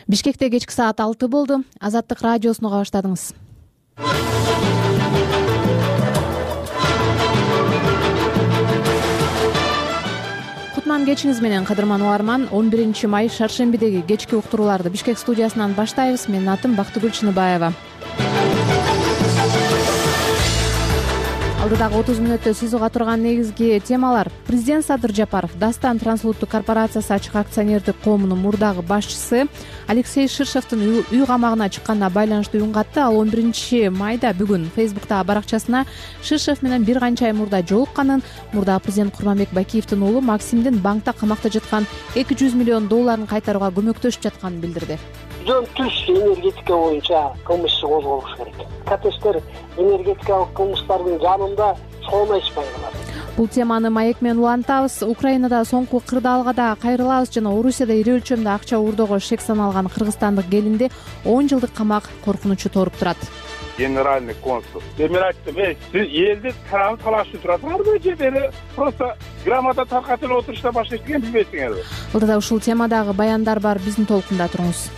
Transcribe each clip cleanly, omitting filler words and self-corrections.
Бишкекте кечки саат 6 болду. Азаттык радиосуну уга баштадыңыз. Кутман кечиңиз менен, кадырман угарман. 11 май шаршембидеги кечки уктурууларды Бишкек студиясынан баштайбыз. Менин атым Бактыгүл Чыныбаева. Алдыдагы 30 мүнөттө сиз уга турган негизги темалар: Президент Садыр Жапаров Дастан трансулуттук корпорациясы ачык акционердик коомунун мурдагы башчысы Алексей Ширшевдин үй камагына чыкканына байланыштуу үн катты. Ал 11 майда бүгүн Фейсбуктагы баракчасына Ширшев менен бир канча ай мурда жолукканын, мурдагы президент Курманбек Бакиевдин уулу Максимдин банкта камакта жаткан $200 миллион кайтарууга көмөктөшүп жатканын билдирди. Жөн түз энергетика боюнча кылмыш иши козголуш керек. Катештер энергетикалык кылмыштардын жанында чоңойшпай калат. Бул теманы маек менен улантабыз. Украинада соңку кырдаалга да кайрылабыз жана Орусияда ири өлчөмдө акча уурдоого шек саналган кыргызстандык келинди 10 жылдык камак коркунучу торуп турат. Генеральный консул мен айттым, сиз элди талашып турасыңарбы же мени просто грамота таркатып отурушта башка эчтеке билбейсиңерби? Алдыда ушул темадагы баяндар бар, биздин толкунда туруңуз.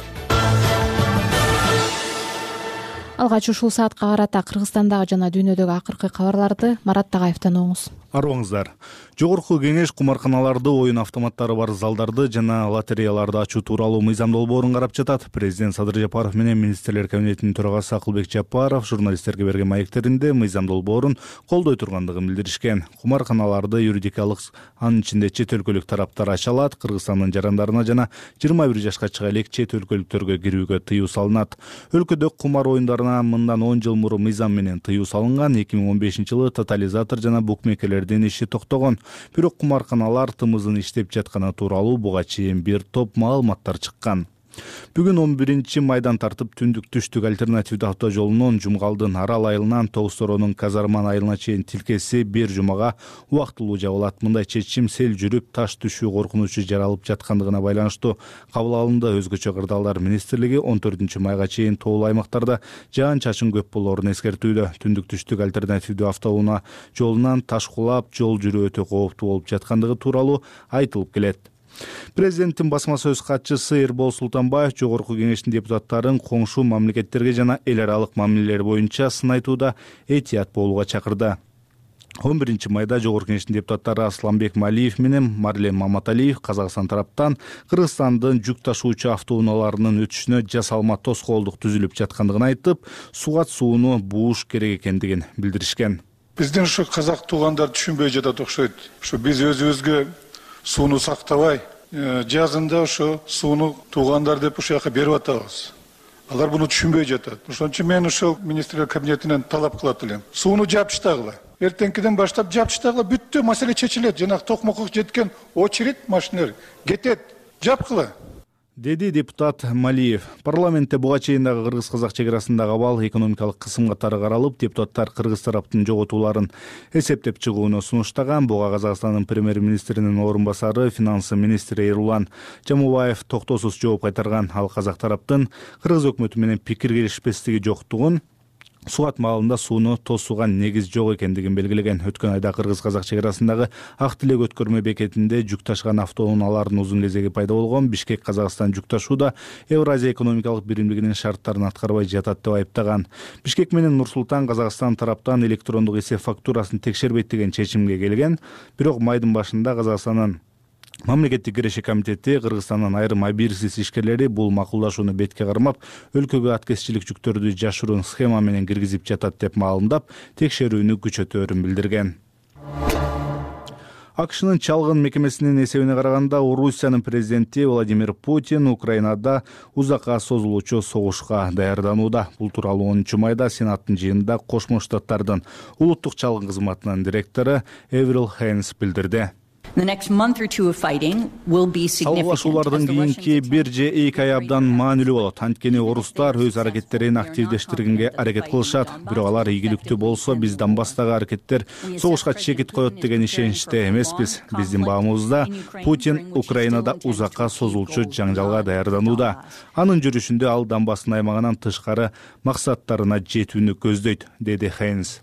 Алгач ушул саатка карата Кыргызстандагы жана дүйнөдөгү акыркы кабарларды Марат Тагаевден угуңуз. Арооңуздар. Жогорку кеңеш кумарканаларды, оюн автоматтары бар залдарды жана лотереяларды ачуу тууралуу мыйзам долбоорун карап жатат. Президент Садыр Жапаров менен министрлер кабинетинин төрагасы Акылбек Жапаров журналисттерге берген маектеринде мыйзам долбоорун колдой тургандыгын билдиришкен. Кумарканаларды юридикалык, анын ичинде чет өлкөлүк тараптар ача алат. Кыргызстандын жарандарына жана 21 жашка чыга элек чет өлкөлүктөргө кирүүгө тыюу салынат. Өлкөдө кумар оюндарына мындан 10 жыл мурун мыйзам менен тыюу салынган. 2015-жылы тотализатор жана букмекерлердин иши токтогон. Бирок кумарканалар тымызын иштеп жатканы тууралуу буга чейин бир топ маалыматтар чыккан. Бүгүн 11 майдан тартып түндүк-түштүк альтернативдүү автожолунун Жумгалдын Арал айылынан Тогусторонун Казарман айылына чейин тилкеси бир жумага убактылуу жабылат. Мындай чечим сел жүрүп таш түшүү коркунучу жаралып жаткандыгына байланыштуу кабыл алынды. Өзгөчө кырдаалдар министрлиги 14 майга чейин тоолуу аймактарда жаан-чачын көп болоорун эскертүүдө. Түндүк-түштүк альтернативдүү автоунаа жолунан таш кулап, жол жүрүү өтө кооптуу болуп жаткандыгы тууралуу айтылып келет. Президенттин басма сөз катчысы Эрбол Султанбаев жогорку кеңештин депутаттарын коңшу мамлекеттерге жана эл аралык мамилелер боюнча сын айтууда этият болууга чакырды. 11 майда жогорку кеңештин депутаттары Асланбек Малиев менен Марлен Маматалиев Казакстан тараптан Кыргызстандын жүк ташуучу автоунааларынын өтүшүнө жасалма тоскоолдук түзүлүп жаткандыгын айтып, сугат сууну бууш керек экендигин билдиришкен. Биздин ушу казак туугандар түшүнбөй жатат окшойт. Ушу биз өзүбүзгө сууну сактабай, жазында ошо сууну туугандар деп ушул жака берип атабыз. Алар буну түшүнбөй жатат. Ошон үчүн мен ошол министрлер кабинетинен талап кылат элем. Сууну жапыштагыла. Эртеңкиден баштап жапыштагыла, бүттү, маселе чечилет. Жанагы токмокко жеткен очередь машиналар кетет. Жапкыла. Деди депутат Малиев. Парламентте буга чейин дагы кыргыз-казак чек арасындагы абал экономикалык кысым катары каралып, депутаттар кыргыз тараптын жоготууларын эсептеп чыгууну сунуштаган. Буга Казакстандын премьер-министринин орун басары, финансы министри Эрулан Жамубаев токтоосуз жооп кайтарган. Ал казак тараптын кыргыз өкмөтү менен пикир келишпестиги жоктугун, сугат маалында сууну тосууга негиз жок экендигин белгилеген. Өткөн айда кыргыз-казак чек арасындагы Ак Тилек өткөрмө бекетинде жүк ташыган автоунаалардын узун кезеги пайда болгон. Бишкек Казакстан жүк ташууда Евразия экономикалык биримдигинин шарттарын аткарбай жатат деп айыптаган. Бишкек менен Нур-Султан Казакстан тараптан электрондук эсеп фактурасын текшербейт деген чечимге келген. Бирок майдын башында Казакстандын Мамлекеттик киреши комитети Кыргызстандын айрым объективсиз ишкерлери бул макулдашууну бетке кармап, өлкөгө аткезчилик жүктөрдү жашыруун схема менен киргизип жатат деп маалымдап, текшерүүнү күчөтөөрүн билдирген. АКШнын чалгын мекемесинин эсебине караганда, Орусиянын президенти Владимир Путин Украинада узакка созулуучу согушка даярданууда. Бул тууралуу 10 майда Сенаттын жыйынында Кошмо Штаттардын улуттук чалгын кызматынын директору Эврил Хейнс билдирди. Салгылашуулардын кийинки 1 же 2 ай абдан маанилүү болот. Анткени орустар өз аракеттерин активдештиргенге аракет кылышат. Бирок алар ийгиликтүү болсо, биз Донбасстагы аракеттер согушка чекит коет деген ишеничте эмеспиз. Биздин баамыбызда Путин Украинада узакка созулчу жаңжалга даярданууда. Анын жүрүшүндө ал Донбасстын аймагынан тышкары максаттарына жетүүнү көздөйт, деди Хейнс.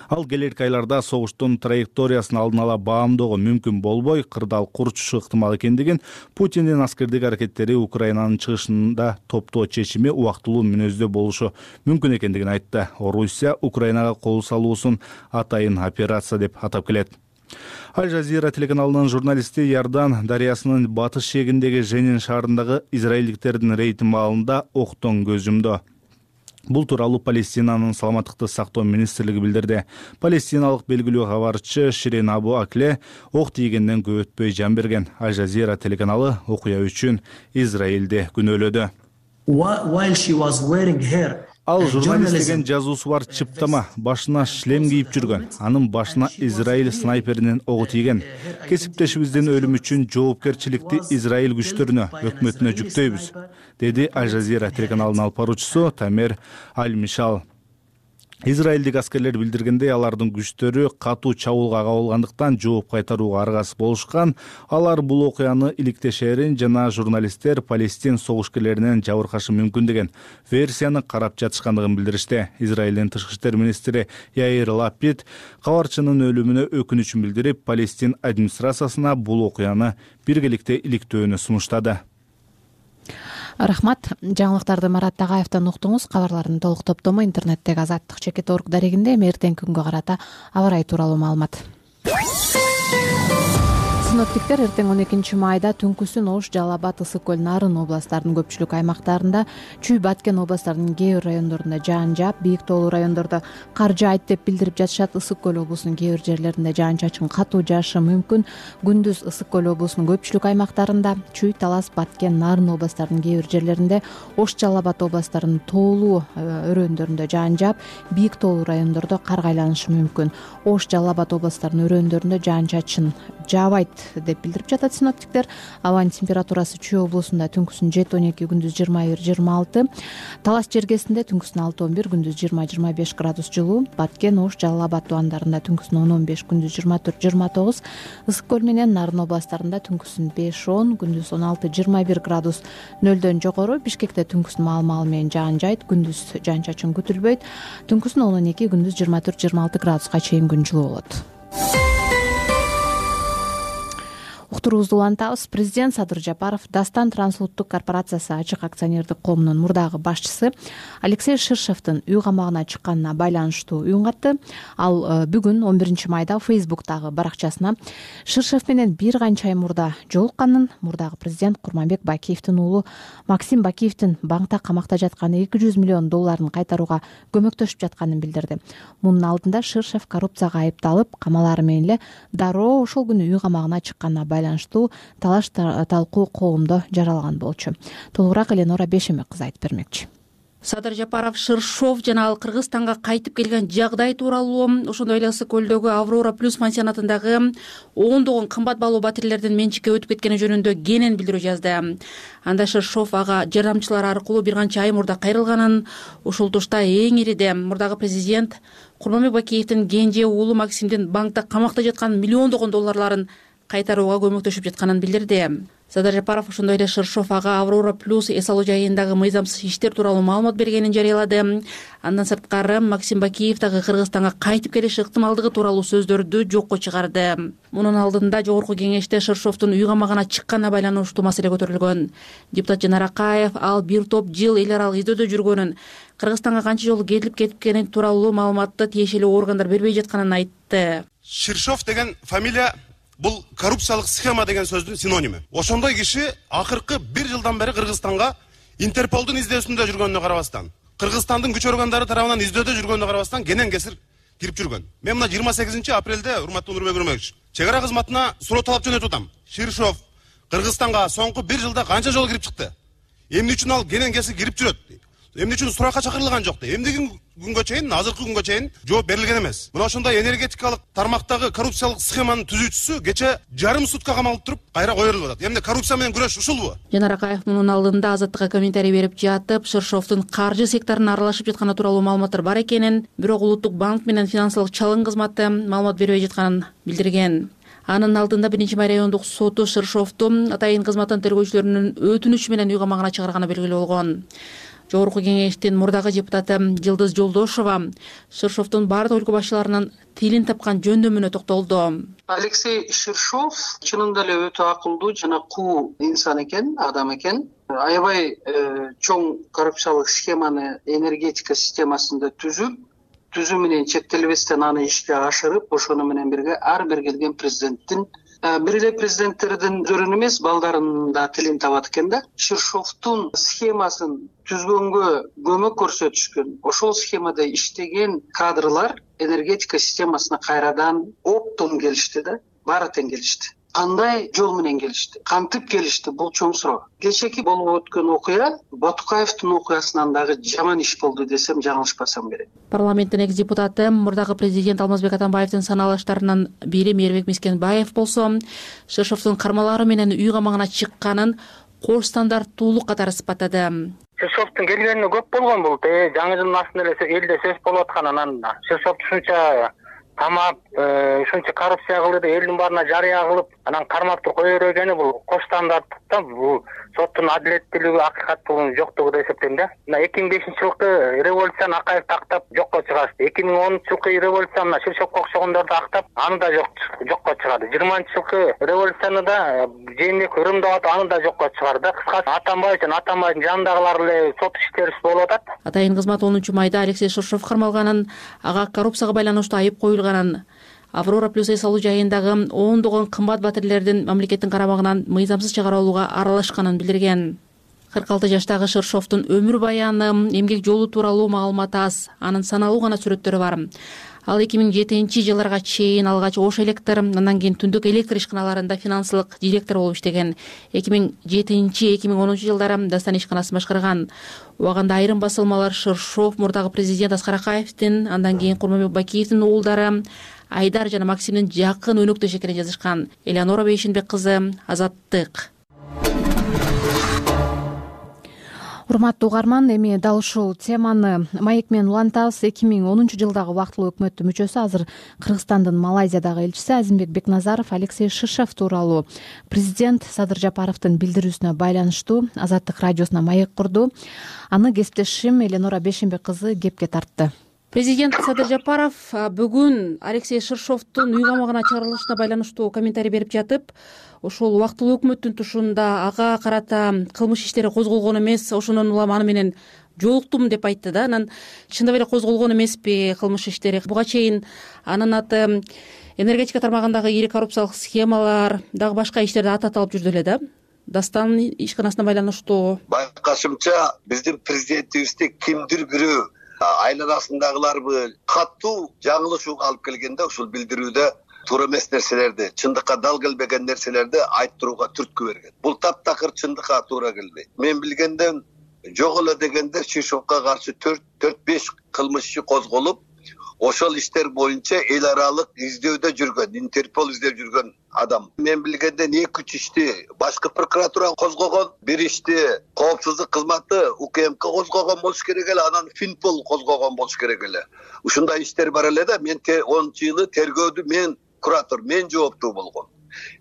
Ал келерки айларда согуштун траекториясын алдын ала баамдоого мүмкүн болбой, кырдаал курчушу ыктымал экендигин, Путиндин аскердик аракеттери Украинанын чыгышында топтоо чечими убактылуу мүнөздө болушу мүмкүн экендигин айтты. Орусия Украинага кол салуусун атайын операция деп атап келет. Аль-Жазира телеканалынын журналисти Иордан дарыясынын батыш шегиндеги Женин шаарындагы израилдиктердин рейд маалында октон көз жумду. Бул тууралуу Палестинанын саламаттыкты сактоо министрлиги билдирди. Палестиналык белгилүү кабарчы Ширин Абу Акле ок тийгенден көп өтпөй жан берген. Аль-Жазира телеканалы окуя үчүн Израилди күнөөлөдү. Ал журналист деген жазуусу бар чыптама, башына шлем кийип жүргөн. Анын башына Израиль снайперинин огу тийген. Кесиптешибиздин өлүмү үчүн жоопкерчиликти Израиль күчтөрүнө, өкмөтүнө жүктөйбүз, деди Аль-Жазира телеканалынын алып баруучусу Тамер Аль-Мишал. Израилдик аскерлер билдиргендей, алардын күчтөрү катуу чабуулга кабылгандыктан жооп кайтарууга аргасыз болушкан. Алар бул окуяны иликтешерин жана журналисттер Палестин согушкерлеринен жабыркашы мүмкүн деген версияны карап жатышкандыгын билдиришти. Израилдин тышкы иштер министри Яир Лапид кабарчынын өлүмүнө өкүнүчүн билдирип, Палестин администрациясына бул окуяны биргеликте иликтөөнү сунуштады. Рахмат. Жаңылыктарды Марат Тагаевден уктуңуз. Кабарлардын толук топтому интернеттеги Азаттык.org дарегинде эртеңки күнгө карата аба ырайы тууралуу маалымат. Синоптиктер эртең 12 майда түнкүсүн Ош, Жалал Абад, Ысык Көл, Нарын областарынын көпчүлүк аймактарында, Чүй, Баткен областарынын кээ бир райондорунда жаан жаап, бийик тоолуу райондордо кар жаайт деп билдирип жатышат. Ысык Көл облусунун кээ бир жерлеринде жаан-чачын катуу жаашы мүмкүн. Күндүз Ысык Көл облусунун көпчүлүк аймактарында, Чүй, Талас, Баткен, Нарын областарынын кээ бир жерлеринде, Ош, Жалал Абад областарынын тоолуу өрөөндөрүндө жаан жаап, бийик тоолуу райондордо карга айланышы мүмкүн. Ош, Жалал Абад областарынын өрөөндөрүндө жаан-чачын жаабайт деп билдирип жатат синоптиктер. Абанын температурасы Чүй облусунда түнкүсүн 7-12, күндүз 21-26, Талас жергесинде түнкүсүн 6-11, күндүз 20-25 градус жылуу, Баткен, Ош, Жалал Абад тубандарында түнкүсүн 10-15, күндүз 24-29, Ысык Көл менен Нарын областарында түнкүсүн 5-10, күндүз 16-21 градус нөлдөн жогору. Бишкекте түнкүсүн маал-маал менен жаан жайт, күндүз жаан-чачын күтүлбөйт, түнкүсүн 10-12, күндүз 24-26 градуска чейин күн жылуу болот. Уктуруубузду улантабыз. Президент Садыр Жапаров Дастан трансулуттук корпорациясы ачык акционердик коомунун мурдагы башчысы Алексей Ширшевдин үй камагына чыкканына байланыштуу үн катты. Ал бүгүн 11 майда Facebook'тагы баракчасына Ширшев менен бир канча ай мурда жолукканын, мурдагы президент Курманбек Бакиевдин уулу Максим Бакиевдин банкта камакта жаткан $200 миллион кайтарууга көмөктөшүп жатканын билдирди. Мунун алдында Ширшев коррупцияга айыпталып, камалары менен эле дароо ошол күнү үй камагына чыкканына байланыштуу талаш талкуу коомдо жаралган болчу. Толугураак Эленора Бешеме кызы айтып бермекчи. Садыр Жапаров Ширшов жана ал Кыргызстанга кайтып келген жагдай тууралуу, ошондой эле Ысык Көлдөгү Аврора Плюс пансионатындагы ондогон кымбат баалуу батирлердин менчикке өтүп кеткени жөнүндө кенен билдирүү жазды. Анда Ширшов ага жардамчылары аркылуу бир канча ай мурда кайрылганын, ушул тушта эң ириде мурдагы президент Курманбек Бакиевдин кенже уулу Максимдин банкта камакта жаткан миллиондогон долларларын кайтарууга көмөктөшүп жатканын билдирди. Садыр Жапаров ошондой эле Ширшов ага Аврора Плюс эс алуу жайындагы мыйзамсыз иштер тууралуу маалымат бергенин жарыялады. Андан сырткары Максим Бакиев дагы Кыргызстанга кайтып келиш ыктымалдыгы тууралуу сөздөрдү жокко чыгарды. Мунун алдында жогорку кеңеште Ширшовдун үй камагына чыкканына байланыштуу маселе көтөрүлгөн. Депутат Жанар Акаев ал бир топ жыл эл аралык издөөдө жүргөнүн, Кыргызстанга канча жолу келип кеткени тууралуу маалыматты тиешелүү органдар бербей жатканын айтты. Ширшов деген фамилия бул коррупциялык схема деген сөздүн синонимі. Ошондой киши акыркы бир жылдан бери Кыргызстанга Интерполдун издөөсүндө жүргөнүнө карабастан, Кыргызстандын күч органдары тарабынан издөөдө жүргөнүнө карабастан кенен кесир кирип жүргөн. Мен мына 28 апрелде урматтуу Нурбек Үрмөкович чек ара кызматына суроо талап жөнөтүп атам. Ширшов Кыргызстанга соңку бир жылда канча жолу кирип чыкты? Эмне үчүн ал кенен кесир кирип жүрөт? Эмне үчүн суракка чакырылган жок? Эмнеге күнгө чейин, азыркы күнгө чейин жооп берилген эмес. Мына ошондой энергетикалык тармактагы коррупциялык схеманын түзүүчүсү кече жарым сутка камалып туруп кайра коюлуп атат. Эмне коррупция менен күрөш ушулбу? Жанар Акаев мунун алдында Азаттыкка комментарий берип жатып, Ширшовдун каржы секторуна аралашып жатканы тууралуу маалыматтар бар экенин, бирок Улуттук банк менен финансылык чалым кызматы маалымат бербей жатканын билдирген. Анын алдында 1 райондук соту Ширшовду атайын кызматтын тергөөчүлөрүнүн өтүнүчү менен үй камагына чыгарганы белгилүү болгон. Жогорку кеңештин мурдагы депутаты Жылдыз Жолдошова Ширшовдун бардык өлкө башчыларынын тилин тапкан жөндөмүнө токтолду. Алексей Ширшов чынында эле өтө акылдуу жана куу инсан экен, адам экен. Аябай чоң коррупциялык схеманы энергетика системасында түзүү менен чектелбестен аны ишке ашырып, ошону менен бирге ар бир келген президенттин бир эле президенттердин өзүнүн эмес, балдарынын да тилин табат экен да. Ширшовдун схемасын түзгөнгө көмөк көрсөтүшкөн, ошол схемада иштеген кадрлар энергетика системасына кайрадан оптом келишти да, баары тең келишти. Кандай жол менен келишти, кантип келишти, бул чоң суроо. Кечээки болуп өткөн окуя Батукаевдин окуясынан дагы жаман иш болду десем жаңылышпасам керек. Парламенттин экс депутаты мурдагы президент Алмазбек Атамбаевдин саналыштарынын бири Мээрбек Мискенбаев болсо Ширшовдун кармалары менен үй камагына чыкканын кош стандарттуулук катары сыпаттады. Ширшовдун келгенине көп болгон бул. Жаңы жылдын астында эле элде сөз болуп аткан, анан Ширшов ушунча тамап, ушунча коррупция кылды, элдин баарына жарыя кылып, анан кармап кое бергени бул кош стандарттыкта, бул соттун адилеттүүлүгү, акыйкаттуулугунун жоктугу деп эсептейм да. Мына 2005-жылкы революцияны Акаев тактап жокко чыгарды. 2010-жылкы революцияны Ширшовго окшогондорду актап, аны да жокко чыгарды. 20-жылкы революцияны да жээнбек ырымдап аны да жокко чыгарды. Кыскасы Атамбаевдин жанындагылар эле сот иштери болуп атат. Атайын кызмат 10-майда Алексей Ширшов кармалганын, ага коррупцияга байланыштуу айып коюлганын, Аврора плюс салуу жайындагы ондогон кымбат батирлердин мамлекеттин карамагынан мыйзамсыз чыгарылууга аралашканын билдирген. 46 жаштагы Ширшовдун өмүр баяны, эмгек жолу тууралуу маалымат аз, анын саналуу гана сүрөттөрү бар. Ал 2007-жылдарга чейин алгач Ош электр, андан кийин Түндүк электр ишканаларында финансылык директор болуп иштеген. 2007-2010 жылдары Дастан ишканасын башкарган. Убагында айрым басылмалар Ширшов мурдагы президент Аскар Акаевдин, андан кийин Курманбек Бакиевдин уулдары Айдар жана Максимдин жакын өнөктөш экенин жазышкан. Элеонора Бейшенбек кызы, Азаттык. Урматтуу угарман, эми дал ушул теманы маек менен улантабыз. 2010 жылдагы убактылуу өкмөттүн мүчөсү, азыр Кыргызстандын Малайзиядагы элчиси Азимбек Бекназаров Алексей Ширшов тууралуу президент Садыр Жапаровдун билдирүүсүнө байланыштуу Азаттык радиосуна маек курду. Аны кесиптешим Элеонора Бейшенбек кызы кепке тартты. Президент Садыр Жапаров бүгүн Алексей Ширшовдун үй камагына чыгарылышына байланыштуу комментарий берип жатып, ошол убактылуу өкмөттүн тушунда ага карата кылмыш иштери козголгон эмес, ошондон улам аны менен жолуктум деп айтты да. Анан чындап эле козголгон эмеспи кылмыш иштери? Буга чейин анын аты энергетика тармагындагы ири коррупциялык схемалар, дагы башка иштерди аталып жүрдү эле да. Дастан ишканасына байланыштуу байкашымча биздин президентибизди кимдир бирөө айланасындагыларбы катуу жаңылышууга алып келгенде ушул билдирүүдө туура эмес нерселерди, чындыкка дал келбеген нерселерди айттырууга түрткү берген. Бул таптакыр чындыкка туура келбейт. Мен билгенден жок эле дегенде Ширшовго каршы 4-5 кылмыш иши козголуп, ошол иштер боюнча эл аралык издөөдө жүргөн, Интерпол издеп жүргөн адам. Мен билгенден 2-3 ишти башкы прокуратура козгогон, бир ишти коопсуздук кызматы УКМК козгогон болуш керек эле, анан Финпол козгогон болуш керек эле. Ушундай иштер бар эле да. Мен 10-жылы тергөөдү мен куратор, мен жооптуу болгом.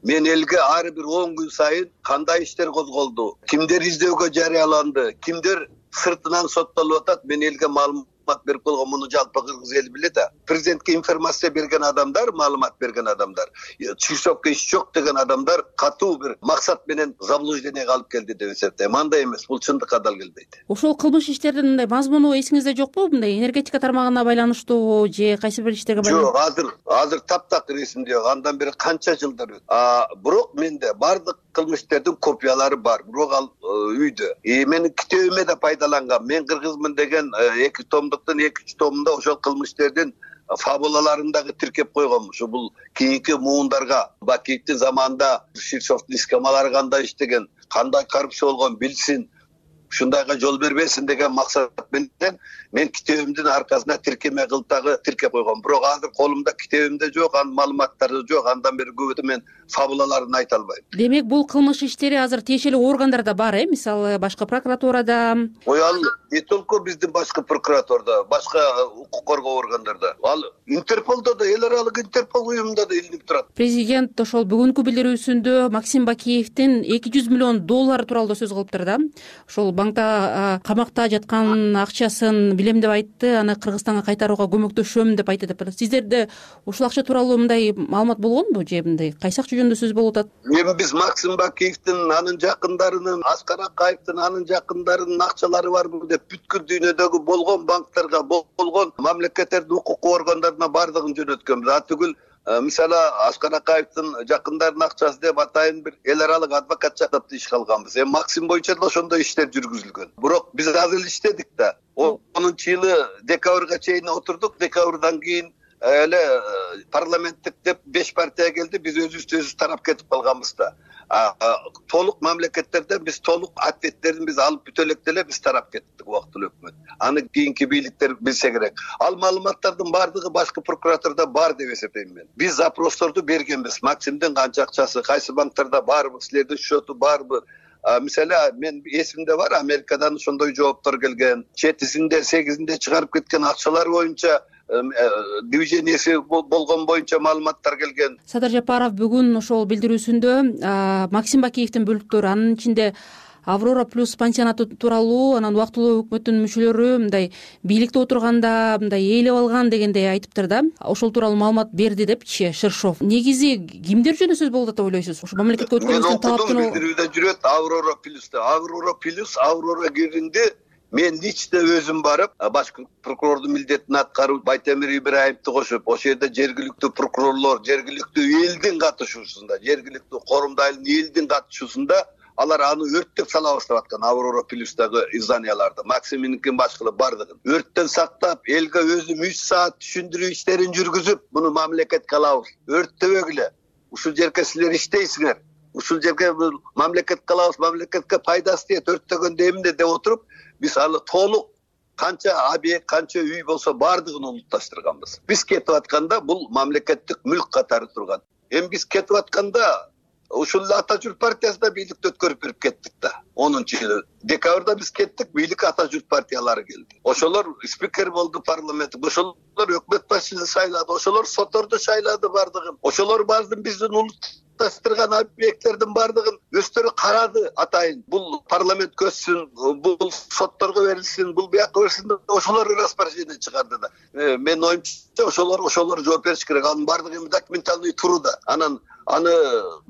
Мен элге ар бир 10 күн сайын кандай иштер козголду, кимдер издөөгө жарыяланды, кимдер сыртынан соттолуп атат, мен элге маалымат берип койгон. Муну жалпы кыргыз эли билет да. Президентке информация берген адамдар, маалымат берген адамдар, Ширшовго иш жок деген адамдар катуу бир максат менен заблуждениеге алып келди деп эсептейм. Андай эмес, бул чындыкка дал келбейт. Ошол кылмыш иштердин мындай мазмуну эсиңизде жокпу? Мындай энергетика тармагына байланыштуу же кайсы бир иштерге байланыштуу? Жок, азыр таптакыр эсимде жок. Андан бери канча жылдар өттү. Бирок менде бардык кылмыш иштердин копиялары бар. Бирок ал үйдө. Менин китебиме да пайдаланган. Мен кыргызмын деген 2 томдуктун 2 томунда ошол кылмыш иштердин фабулаларын дагы тиркеп койгом. Ушу бул кийинки муундарга Бакиевдин заманында Ширшовдун схемалары кандай иштеген, кандай коррупция болгон билсин, ушундайга жол бербесин деген максат менен мен китебимдин аркасына тиркеме кылып дагы тиркеп койгом. Бирок азыр колумда китебимде жок, анын маалыматтары жок. Андан бери көбүтө мен фабулаларын айта албайм. Демек бул кылмыш иштери азыр тиешелүү органдарда бар, мисалы башкы прокуратурада. Ал не только биздин башкы прокуратурада, башка укук коргоо органдарда. Ал Интерполдо да, эл аралык Интерпол уюмунда да илинип турат. Президент ошол бүгүнкү билдирүүсүндө Максим Бакиевдин $200 миллион тууралуу сөз кылыптыр да. Ошол банкта камакта жаткан акчасын билем деп айтты, аны Кыргызстанга кайтарууга көмөктөшөм деп айтты деп. Сиздерде ушул акча тууралуу мындай маалымат болгонбу же мындай кайсы акча жөнүндө сөз болуп атат? Эми биз Максим Бакиевдин, анын жакындарынын, Аскар Акаевдин, анын жакындарынын акчалары барбы деп бүткүл дүйнөдөгү болгон банктарга, болгон мамлекеттердин укук органдарына бардыгын жөнөткөнбүз. Түгүл мисалы Аскар Акаевдин жакындарынын акчасы деп атайын бир эл аралык адвокат жактап иш алганбыз. Эми Максим боюнча да ошондой иштер жүргүзүлгөн. Бирок биз азыр эле иштедик да. 10-жылы декабрга чейин отурдук. Декабрдан кийин эле парламенттик деп 5 партия келди. Биз өзүбүз тарап кетип калганбыз да. Толук мамлекеттерден биз толук ответтерин биз алып бүтө элек деле биз тарап кеттик убактылуу өкмөт. Аны кийинки бийликтер билсе керек. Ал маалыматтардын бардыгы башкы прокуратурада бар деп эсептейм мен. Биз запросторду бергенбиз. Максимдин канча акчасы, кайсы банктарда барбы, силердин счету барбы? Мисалы мен эсимде бар, Америкадан ошондой жооптор келген. 7-синде, 8-синде чыгарып кеткен акчалар боюнча движениясы болгон боюнча маалыматтар келген. Садыр Жапаров бүгүн ошол билдирүүсүндө Максим Бакиевдин бөлүктөрү, анын ичинде Аврора плюс пансионаты тууралуу, анан убактылуу өкмөттүн мүчөлөрү мындай бийликте отурганда мындай ээлеп алган дегендей айтыптыр да. Ошол тууралуу маалымат берди депчи Ширшов. Негизи кимдер жөнүндө сөз болуп атат деп ойлойсуз? Ошо мамлекетке өткөнүбүздүн талаптын билдирүүдө жүрөт Аврора плюс Аврора киринде. Мен лично өзүм барып, башкы прокурордун милдетин аткарып, Байтемир Ибраимовду кошуп, ошол жерде жергиликтүү прокурорлор, жергиликтүү элдин катышуусунда, жергиликтүү корумдайлын элдин катышуусунда алар аны өрттөп салабыз деп аткан Аврора плюстагы изданияларды. Максиминдин башкылы бардыгын өрттөн сактап, элге өзүм 3 саат түшүндүрүү иштерин жүргүзүп, муну мамлекетке алабыз. Өрттөбөгүлө. Ушул жерге силер иштейсиңер. Ушул жерге мамлекетке алабыз, мамлекетке пайдасы тиет, өрттөгөндө эмне деп отуруп, биз аны толук канча объект, канча үй болсо бардыгын улутташтырганбыз. Биз кетип атканда бул мамлекеттик мүлк катары турган. Эми биз кетип атканда ушул Ата журт партиясында бийликти өткөрүп берип кеттик да. 10-жылы декабрда биз кеттик, бийлик Ата журт партиялары келди. Ошолор спикер болду парламент, ошолор өкмөт башчысын шайлады, ошолор сотторду шайлады бардыгын. Ошолор бардын биздин улутташтырган объекттердин бардыгын өздөрү карады атайын. Бул парламент көзсүн, бул сотторго берилсин, бул бияка берилсин, ошолор распоряжение чыгарды да. Мен оюмча ошолор жооп бериш керек. Анын бардыгы эми документальный туруда. Аны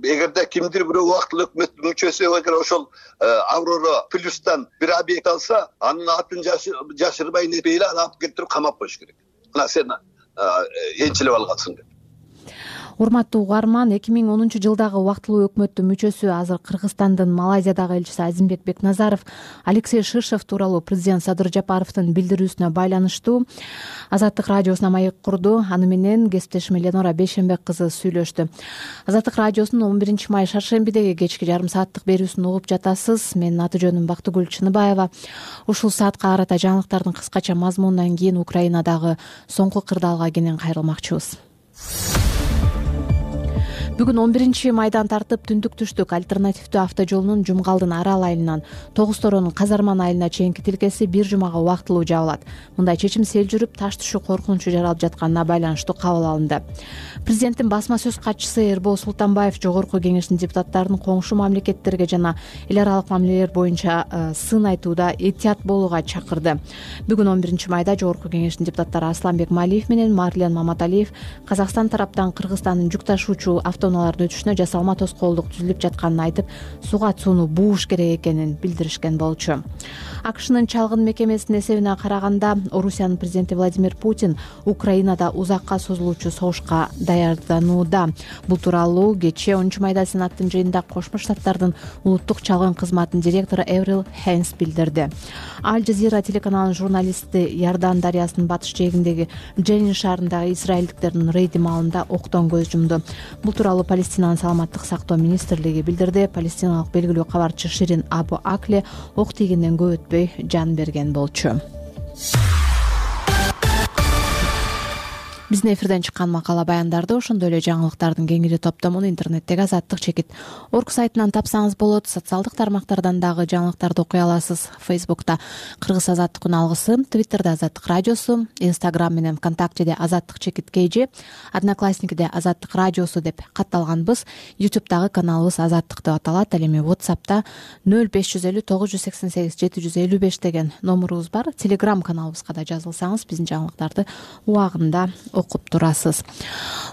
эгерде кимдир бирөө убактылуу өкмөттүн мүчөсү эгер ошол Аврора плюстан бир объект алса, анын атын жашырбай нетпей эле аны алып келтирип камап коюш керек. Мына сен энчилеп алгансың деп. Урматтуу угарман, 2010-жылдагы убактылуу өкмөттүн мүчөсү, азыр Кыргызстандын Малайзиядагы элчиси Азимбек Бекназаров Алексей Ширшов тууралуу президент Садыр Жапаровдун билдирүүсүнө байланыштуу Азаттык радиосуна маек курду. Аны менен кесиптешим Ленора Бейшенбек кызы сүйлөштү. Азаттык радиосунун 11 май шаршембидеги кечки жарым сааттык берүүсүн угуп жатасыз. Менин аты жөнүм Бактыгүл Чыныбаева. Ушул саатка карата жаңылыктардын кыскача мазмунунан кийин Украинадагы соңку кырдаалга кенен кайрылмакчыбыз. Бүгүн 11 майдан тартып түндүк түштүк альтернативдүү автожолунун Жумгалдын Арал айылынан Тогусторонун Казарман айылына чейинки тилкеси бир жумага убактылуу жабылат. Мындай чечим сел жүрүп, таш түшүү коркунучу жаралып жатканына байланыштуу кабыл алынды. Президенттин басма сөз катчысы Эрбол Султанбаев Жогорку Кеңештин депутаттарын коңшу мамлекеттерге жана эл аралык мамилелер боюнча сын айтууда этият болууга чакырды. Бүгүн 11 майда Жогорку Кеңештин депутаттары Асланбек Малиев менен Марлен Маматалиев Казакстан тараптан Кыргызстандын жүк ташуучу автоунаалардын өтүшүнө жасалма тоскоолдук түзүлүп жатканын айтып, суга сууну бууш керек экенин билдиришкен болчу. АКШнын чалгын мекемесинин эсебине караганда, Орусиянын президенти Владимир Путин Украинада узакка созулуучу согушка даярданууда. Бул тууралуу кечээ 10 майда Сенаттын жыйынында Кошмо Штаттардын улуттук чалгын кызматынын директору Эврил Хейнс билдирди. Аль Жазира телеканалынын журналисти Ярдан дарыясынын батыш жээгиндеги Дженин шаарындагы израилдиктердин рейди маалында октон көз жумду. Бул тууралуу Палестинанын саламаттык сактоо министрлиги билдирди. Палестиналык белгилүү кабарчы Ширин Абу Акле ок тийгенден көп өтпөй жан берген болчу. Биздин эфирден чыккан макала баяндарды ошондой эле жаңылыктардын кеңири топтомун интернеттеги Азаттык чекит орг сайтынан тапсаңыз болот. Социалдык тармактардан дагы жаңылыктарды окуй аласыз. Фейсбукта Кыргыз Азаттыктын алгысы, Твиттерде Азаттык радиосу, Инстаграм менен ВКонтактеде Азаттык чекит KG, Одноклассникиде Азаттык радиосу деп катталганбыз. Ютубтагы каналыбыз Азаттык деп аталат. Ал эми WhatsApp'та 0550 988 755 деген номурубуз бар. Telegram каналыбызга да жазылсаңыз биздин жаңылыктарды убагында окуп турасыз.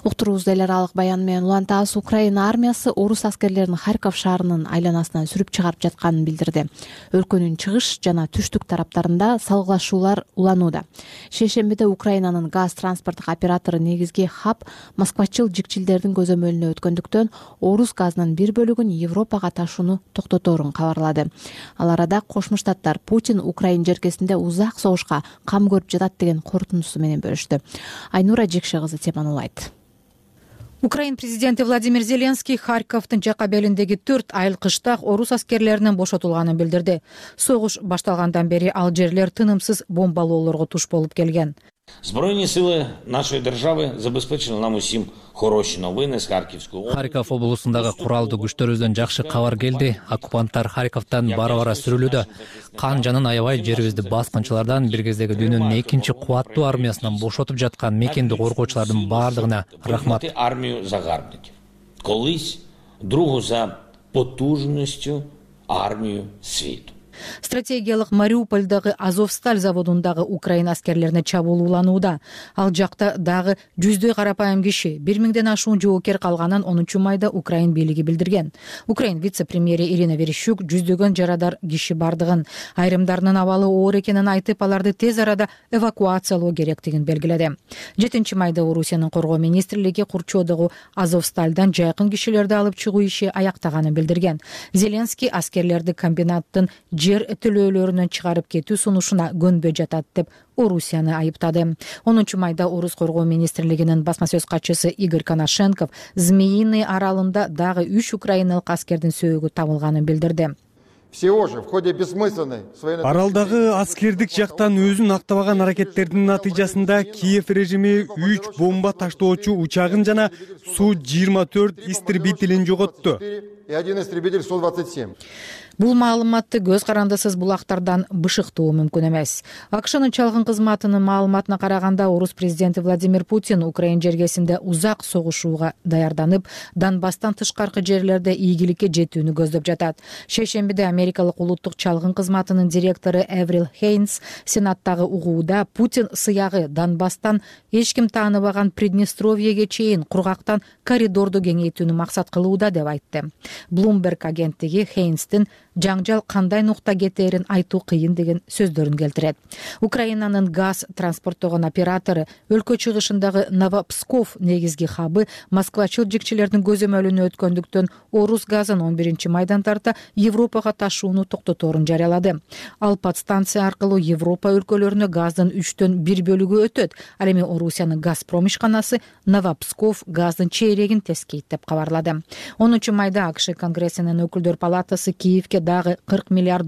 Уктуруубузду эл аралык баян менен улантабыз. Украина армиясы орус аскерлерин Харьков шаарынын айланасынан сүрүп чыгарып жатканын билдирди. Өлкөнүн чыгыш жана түштүк тараптарында салгылашуулар уланууда. Шейшембиде Украинанын газ транспорттук оператору негизги хаб москвачыл жикчилдердин көзөмөлүнө өткөндүктөн орус газынын бир бөлүгүн Европага ташууну токтоторун кабарлады. Ал арада Кошмо Штаттар Путин Украин жеркесинде узак согушка кам көрүп жатат деген корутундусу менен бөлүштү. Айнура Жекше кызы теманы улайт. Украин президенти Владимир Зеленский Харьковдун жака белиндеги 4 айыл кыштак орус аскерлеринин бошотулганын билдирди. Согуш башталгандан бери ал жерлер тынымсыз бомбалоолорго туш болуп келген. Збройні сили нашої держави забезпечили нам усім хороші новини з Харківської. Харьков облусундагы куралдуу күчтөрүбүздөн жакшы кабар келди. Оккупанттар Харьковдон бара-бара сүрүлүүдө. Кан жанын аябай жерибизди баскынчылардан бир кездеги дүйнөнүн экинчи кубаттуу армиясынан бошотуп жаткан мекенди коргоочулардын баардыгына рахмат. Армію загарбників. Колись другу за потужністю армію світу. Стратегиялык Мариупольдагы Азовсталь заводундагы Украина аскерлерине чабуул уланууда. Ал жакта дагы жүздөй карапайым киши 1000ден ашуун жоокер калганын 10-майда Украин бийлиги билдирген. Украин вице-премьери Ирина Верещук жүздөгөн жарадар киши бардыгын, айрымдарынын абалы оор экенин айтып, аларды тез арада эвакуациялоо керектигин белгиледи. 7-майда Орусиянын коргоо министрлиги Курчодогу Азовстальдан жайкын кишилерди алып чыгуу иши аяктаганын билдирген. Зеленский аскерлерди комбинаттын жер төлөөлөрүнөн чыгарып кетүү сунушуна көнбөй жатат деп Орусияны айыптады. 10-майда Орус коргоо министрлигинин басма сөз катчысы Игорь Коношенков Змеиный аралында дагы 3 украиналык аскердин сөөгү табылганын билдирди. Аралдагы аскердик жактан өзүн актабаган аракеттердин натыйжасында Киев режими 3 бомба таштоочу учагын жана Су-24 истребителин жоготту. Бул маалыматты көз карандысыз булактардан бышыктуу мүмкүн эмес. АКШнын чалгын кызматынын маалыматына караганда, орус президенти Владимир Путин Украин жергесинде узак согушууга даярданып, Донбасстан тышкаркы жерлерде ийгиликке жетүүнү көздөп жатат. Шейшембиде Америкалык улуттук чалгын кызматынын директору Эврил Хейнс Сенаттагы угууда Путин сыягы Донбасстан эч ким тааныбаган Приднестровьеге чейин кургактан коридорду кеңейтүүнү максат кылууда деп айтты. Bloomberg агенттиги Хейнстин жаңжал кандай нукта кетээрин айтуу кыйын деген сөздөрүн келтирет. Украинанын газ транспорттогон оператору өлкө чыгышындагы Новопсков негизги хабы москвачыл жикчилердин көзөмөлүнө өткөндүктөн орус газын 11-майдан тарта Европага ташууну токтоторун жарыялады. Ал подстанция аркылуу Европа өлкөлөрүнө газдын 3/1 бөлүгү өтөт. Ал эми Орусиянын Газпром ишканасы Новопсков газдын чейрегин тескейт деп кабарлады. 10-майда АКШ Конгрессинин өкүлдөр палатасы Киевке дагы $40 миллиард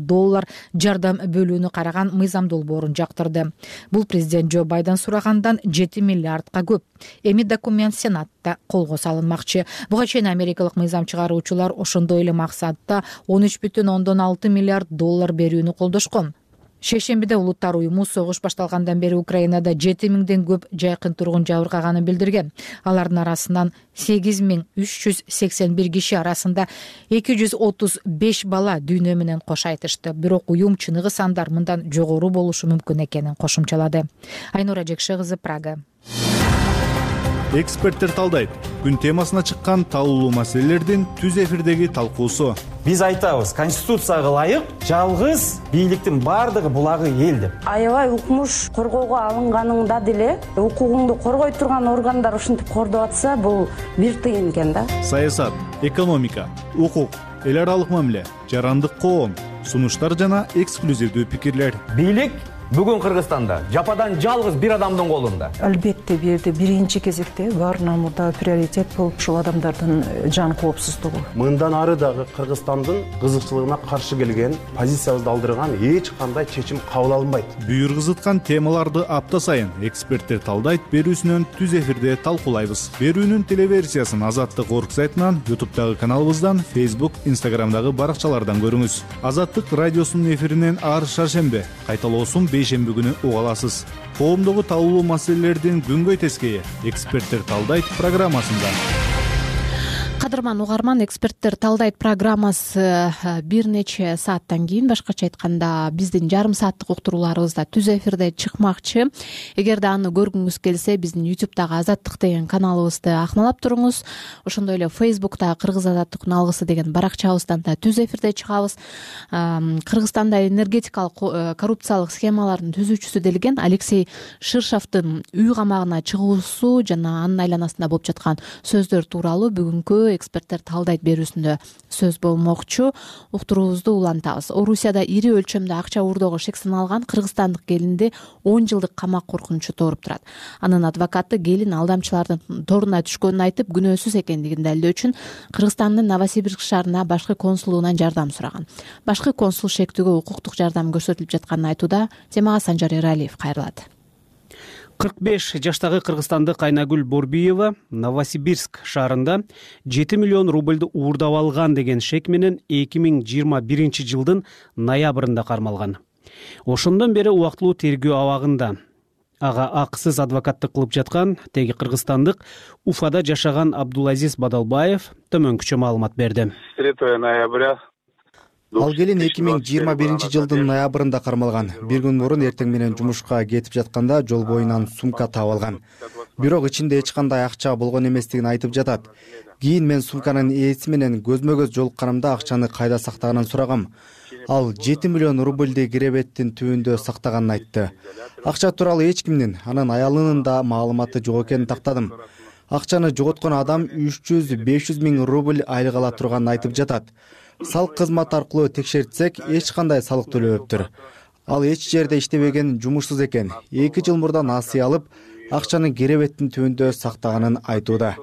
жардам бөлүүнү караган мыйзам долбоорун жактырды. Бул президент Джо Байден сурагандан $7 миллиардга көп. Эми документ Сенатта колго салынмакчы. Буга чейин америкалык мыйзам чыгаруучулар ошондой эле максатта $13,6 миллиард берүүнү колдошкон. Шейшембиде улуттар уюму согуш башталгандан бери Украинада 7000ден көп жайкын тургун жабыркаганын билдирген. Алардын арасынан 8381 киши арасында 235 бала дүйнө менен кош айтышты. Бирок уюм чыныгы сандар мындан жогору болушу мүмкүн экенин кошумчалады. Айнура Жекше кызы, Прага. Эксперттер талдайт. Күн темасына чыккан талуулуу маселелердин түз эфирдеги талкуусу. Биз айтабыз, конституцияга ылайык жалгыз бийликтин бардыгы булагы эл деп. Аябай укмуш коргоого алынганында деле укугуңду коргой турган органдар ушинтип кордоп атса, бул бир тыйын экен да. Саясат, экономика, укук, эл аралык мамиле, жарандык коом, сунуштар жана эксклюзивдүү пикирлер. Бийлик Бүгүн Кыргызстанда жападан жалгыз бир адамдын колунда. Албетте бул жерде биринчи кезекте баарынан мурда приоритет болуп ушул адамдардын жан коопсуздугу. Мындан ары дагы Кыргызстандын кызыкчылыгына каршы келген, позициябызды алдырган эч кандай чечим кабыл алынбайт. Бүйүргүзүткан темаларды апта сайын эксперттер талдайт берүүсүнөн түз эфирде талкуулайбыз. Берүүнүн телеверсиясын Азаттык орг сайтынан, YouTube'дагы каналыбыздан, Facebook, Instagram'дагы баракчалардан көрүңүз. Азаттык радиосунун эфиринен ар шаршембе, кайталоосун бейшемби күнү уга аласыз. Коомдогу талкуулуу маселелердин күнгөй тескейи эксперттер талдайт программасында. Кадырман угарман, эксперттер талдайт программасы бир нече сааттан кийин, башкача айтканда биздин жарым сааттык уктурууларыбызда түз эфирде чыкмакчы. Эгерде аны көргүңүз келсе, биздин YouTube'дагы Азаттык деген каналыбызды акмалап туруңуз. Ошондой эле Facebook'та Кыргыз Азаттык алгысы деген баракчабыздан да түз эфирде чыгабыз. Кыргызстанда энергетикалык коррупциялык схемалардын түзүүчүсү делген Алексей Ширшовдун үй камагына чыгуусу жана анын айланасында болуп жаткан сөздөр тууралуу бүгүнкү эксперттер талдайт берүүсүндө сөз болмокчу. Уктуруубузду улантабыз. Орусияда ири өлчөмдө акча уурдоого шек саналган кыргызстандык келинди 10 жылдык камак коркунучу тооруп турат. Анын адвокаты келин алдамчылардын торуна түшкөнүн айтып, күнөөсүз экендигин далилдөө үчүн Кыргызстандын Новосибирск шаарына башкы консулугунан жардам сураган. Башкы консул шектүүгө укуктук жардам көрсөтүлүп жатканын айтууда. Темага Санжар Эралиев кайрылат. 45 жаштагы кыргызстандык Айнагүл Борбиева Новосибирск шаарында 7 миллион рубльду уурдап алган деген шек менен 2021 жылдын ноябрында кармалган. Ошондон бери убактылуу тергөө абагында. Ага акысыз адвокаттык кылып жаткан теги кыргызстандык Уфада жашаган Абдулазиз Бадалбаев төмөнкүчө маалымат берди. 3 ноября Ал келин 2021 жылдын ноябрында кармалган. Бир күн мурун эртең менен жумушка кетип жатканда жол боюнан сумка табылган. Бирок ичинде эч кандай акча болгон эместигин айтып жатат. Кийин мен сумканын ээси менен көзмө-көз жолукканымда акчаны кайда сактаганын сурагам. Ал 7 миллион рубльди киребеттин түбүндө сактаганын айтты. Акча тууралуу эч кимдин, анын аялынын да маалыматы жок экенин тактадым. Акчаны жоготкон адам 300-500 миң рубль айлык ала турганын айтып жатат. Салык кызматы аркылуу текшертсек, эч кандай салык төлөбөптүр. Ал эч жерде иштебеген, жумушсуз экен. 2 жыл мурда насыя алып, акчаны керебеттин түбүндө сактаганын айтууда.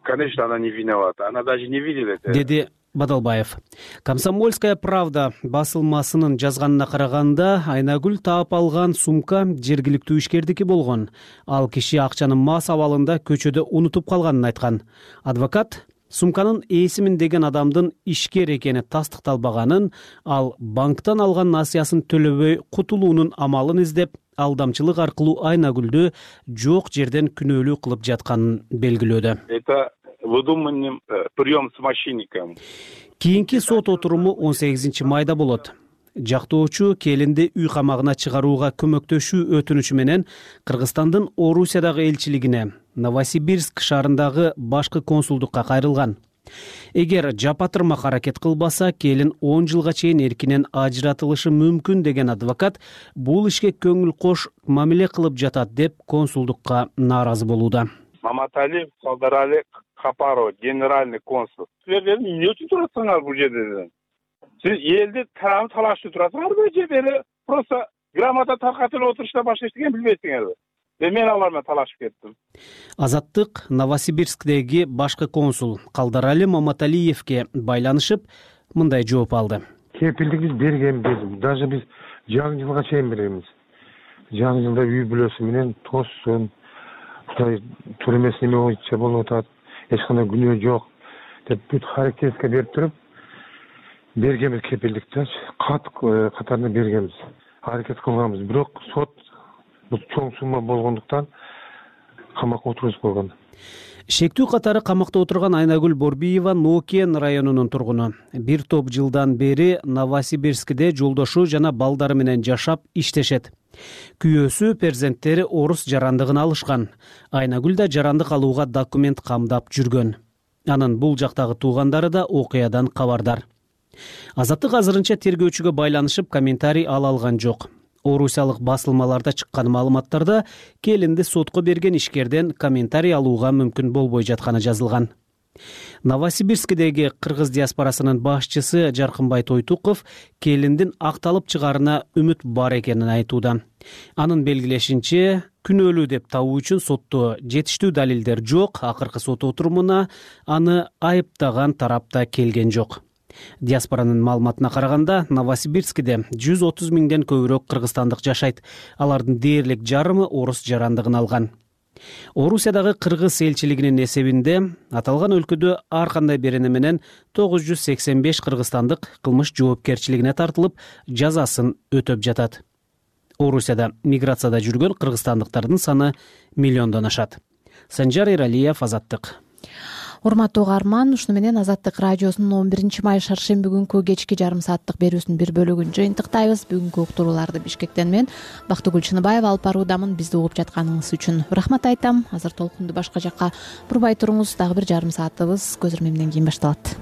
Конечно, она не виновата. Она даже не видела это. Деди Бадалбаев. Комсомольская правда басылмасынын жазганына караганда, Айнагүл таап алган сумка жергиликтүү ишкердики болгон. Ал киши акчаны мас абалында көчөдө унутуп калганын айткан. Адвокат сумканын ээсимин деген адамдын ишкер экени тастыкталбаганын, ал банктан алган насыясын төлөбөй кутулуунун амалын издеп, алдамчылык аркылуу Айнагүлдү жок жерден күнөөлүү кылып жатканын белгилөөдө. Это выдуманный прием с мошенником. Кийинки сот отуруму 18 майда болот. Жактоочу келинди үй камагына чыгарууга көмөктөшүү өтүнүчү менен Кыргызстандын Орусиядагы элчилигине, Новосибирск шаарындагы башкы консулдукка кайрылган. Эгер жапатырмак аракет кылбаса, келин 10 жылга чейин эркинен ажыратылышы мүмкүн деген адвокат бул ишке көңүл кош мамиле кылып жатат деп консулдукка нааразы болууда. Маматали Салдарали Капаров, генеральный консул. Силер эмне үчүн турасыңар бул жерде? Siz elde tarafı talaşlı durasınız mı? Böyle просто gramada tarqatılıp oturuşta başka işleyen bilmeysiniz. Ve men alarma talaşıp kettim. Азаттык Новосибирскдеги башкы консул Калдарали Маматалиевке байланышып, мындай жооп алды. Кепилдик биз бергенбиз. Даже биз жаңы жылга чейин беребиз. Жаңы жылда үй бүлөсү менен тоссун. Кудай тур эмес неме боюнча болуп атат. Эч кандай күнөө жок деп бүт характерге берип туруп бергенбиз кепилдикти. Катарында бергенбиз. Аракет кылганбыз. Бирок сот бул чоң сумма болгондуктан камакка отургузуп койгон. Шектүү катары камакта отурган Айнагүл Борбиева Нокен районунун тургуну. Бир топ жылдан бери Новосибирскде жолдошу жана балдары менен жашап иштешет. Күйөөсү, перзенттери орус жарандыгын алышкан. Айнагүл да жарандык алууга документ камдап жүргөн. Анын бул жактагы туугандары да окуядан кабардар. Азаттык азырынча тергөөчүгө байланышып комментарий ала алган жок. Орусиялык басылмаларда чыккан маалыматтарда келинди сотко берген ишкерден комментарий алууга мүмкүн болбой жатканы жазылган. Новосибирскидеги кыргыз диаспорасынын башчысы Жаркынбай Тойтуков келиндин акталып чыгаарына үмүт бар экенин айтууда. Анын белгилешинче, күнөөлүү деп табуу үчүн сотто жетиштүү далилдер жок, акыркы сот отурумуна аны айыптаган тарапта келген жок. Диаспоранын маалыматына караганда, Новосибирскиде 130 миңден көбүрөөк кыргызстандык жашайт. Алардын дээрлик жарымы орус жарандыгын алган. Орусиядагы кыргыз элчилигинин эсебинде аталган өлкөдө ар кандай берене менен 985 кыргызстандык кылмыш жоопкерчилигине тартылып, жазасын өтөп жатат. Орусияда миграцияда жүргөн кыргызстандыктардын саны миллиондон ашат. Санжар Эралиев, Азаттык. Урматтуу угарман, ушуну менен Азаттык радиосунун 11-май шаршемби күнкү кечки жарым сааттык берүүсүнүн бир бөлүгүн жыйынтыктайбыз. Бүгүнкү уктурууларды Бишкектен мен Бактыгүл Чыныбаева алып баруудамын. Бизди угуп жатканыңыз үчүн рахмат айтам. Азыр толкунду башка жакка бурбай туруңуз. Дагы бир жарым саатыбыз көз ирме менен кийин башталат.